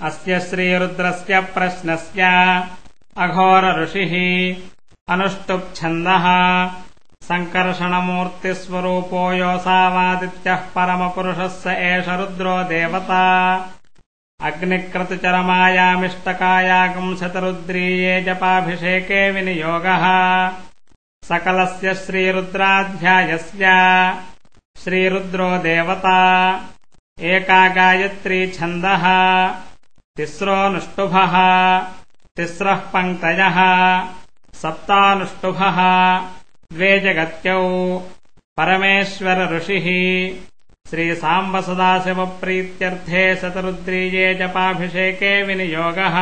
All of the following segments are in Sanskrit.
अस्य श्रीरुद्रस्य प्रश्नस्य अघोर ऋषिः अनुष्टुप्छन्दः संकर्षणमूर्तिस्वरूपो योऽसावादित्यः परमपुरुषः स एष रुद्रो देवता अग्निक्रतुचरमायामिष्टकायागुंशतरुद्रीये जपाभिषेके विनियोगः सकलस्य श्रीरुद्राध्यायस्य श्रीरुद्रो देवता एका गायत्री छन्दः तिस्रोऽनुष्टुभः तिस्रः पङ्क्तयः सप्तानुष्टुभः द्वे जगत्यौ परमेश्वर ऋषिः श्रीसाम्बसदाशिवप्रीत्यर्थे शतरुद्रीये जपाभिषेके विनियोगः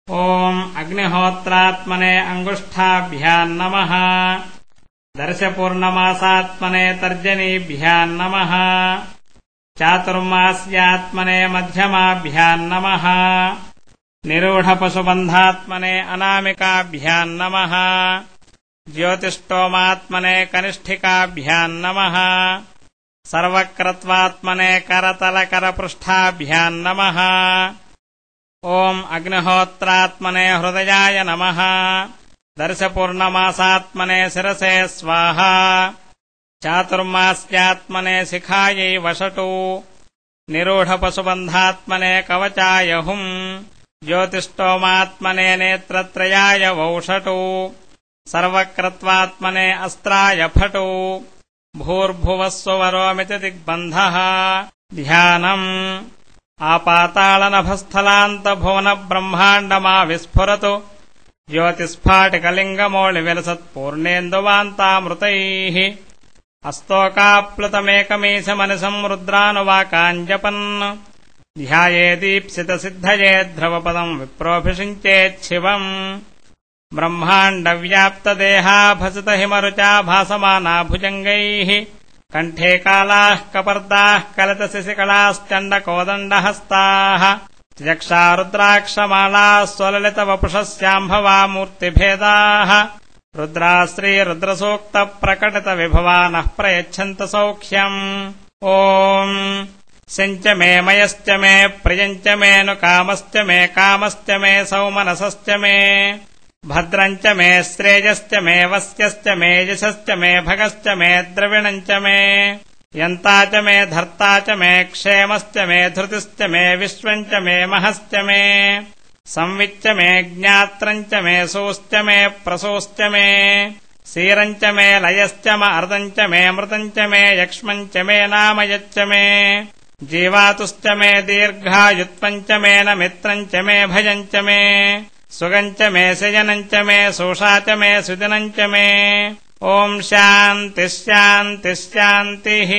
ॐ अग्निहोत्रात्मने अङ्गुष्ठाभ्याम् नमः दर्शपूर्णमासात्मने तर्जनीभ्याम् नमः चातुर्मास्यात्मने मध्यमाभ्याम् नमः निरूढपशुबन्धात्मने अनामिकाभ्याम् नमः ज्योतिष्टोमात्मने कनिष्ठिकाभ्याम् नमः सर्वक्रत्वात्मने करतलकरपृष्ठाभ्याम् नमः ॐ अग्निहोत्रात्मने हृदयाय नमः दर्शपूर्णमासात्मने शिरसे स्वाहा चातुर्मास्यात्मने शिखायै वषटु निरूढपशुबन्धात्मने कवचाय हुम् ज्योतिष्टोमात्मने नेत्रत्रयाय वौषटु सर्वक्रत्वात्मने अस्त्राय फटु भूर्भुवः स्वरोमिति दिग्बन्धः ध्यानम् आपातालनभस्थलान्तभुवनब्रह्माण्डमाविस्फुरतु ज्योतिस्फाटिकलिङ्गमौळिविलसत्पूर्णेन्दुवान्तामृतैः अस्तोकाप्लुतमेकमीशमनिशम् रुद्रानुवाकाञ्जपन् ध्यायेदीप्सितसिद्धये ध्रुवपदम् विप्रोऽभिषिञ्चेच्छिवम् ब्रह्माण्डव्याप्तदेहाभसितहिमरुचा भासमाना भुजङ्गैः कण्ठे कालाः कपर्दाः कलितशिशिकलाश्चण्डकोदण्डहस्ताः चक्षा रुद्राक्षमालाः स्वललितवपुषस्याम्भवा मूर्तिभेदाः रुद्रा श्रीरुद्रसूक्तप्रकटितविभवानः प्रयच्छन्त सौख्यम् ॐ शञ्च मे मयश्च मे प्रियञ्च मेऽनुकामश्च मे कामश्च मे सौमनसश्च मे भद्रञ्च मे श्रेयश्च मे वस्यश्च मे यशश्च मे भगश्च मे द्रविणञ्च मे यन्ता च मे धर्ता च मे क्षेमश्च मे धृतिश्च मे विश्वञ्च मे महश्च मे संविच्च मे ज्ञात्रञ्च मे सूश्च मे प्रसूश्च मे क्षीरञ्च मे लयश्च अर्धञ्च मे मृतञ्च मे यक्ष्मञ्च मे नामयच्च मे जीवातुश्च मे दीर्घायुत्वञ्च मे न मित्रञ्च मे भयञ्च मे सुगञ्च मे शयनञ्च मे सोषा च मे सुदिनञ्च मे ॐ शान्तिः शान्तिः शान्तिः।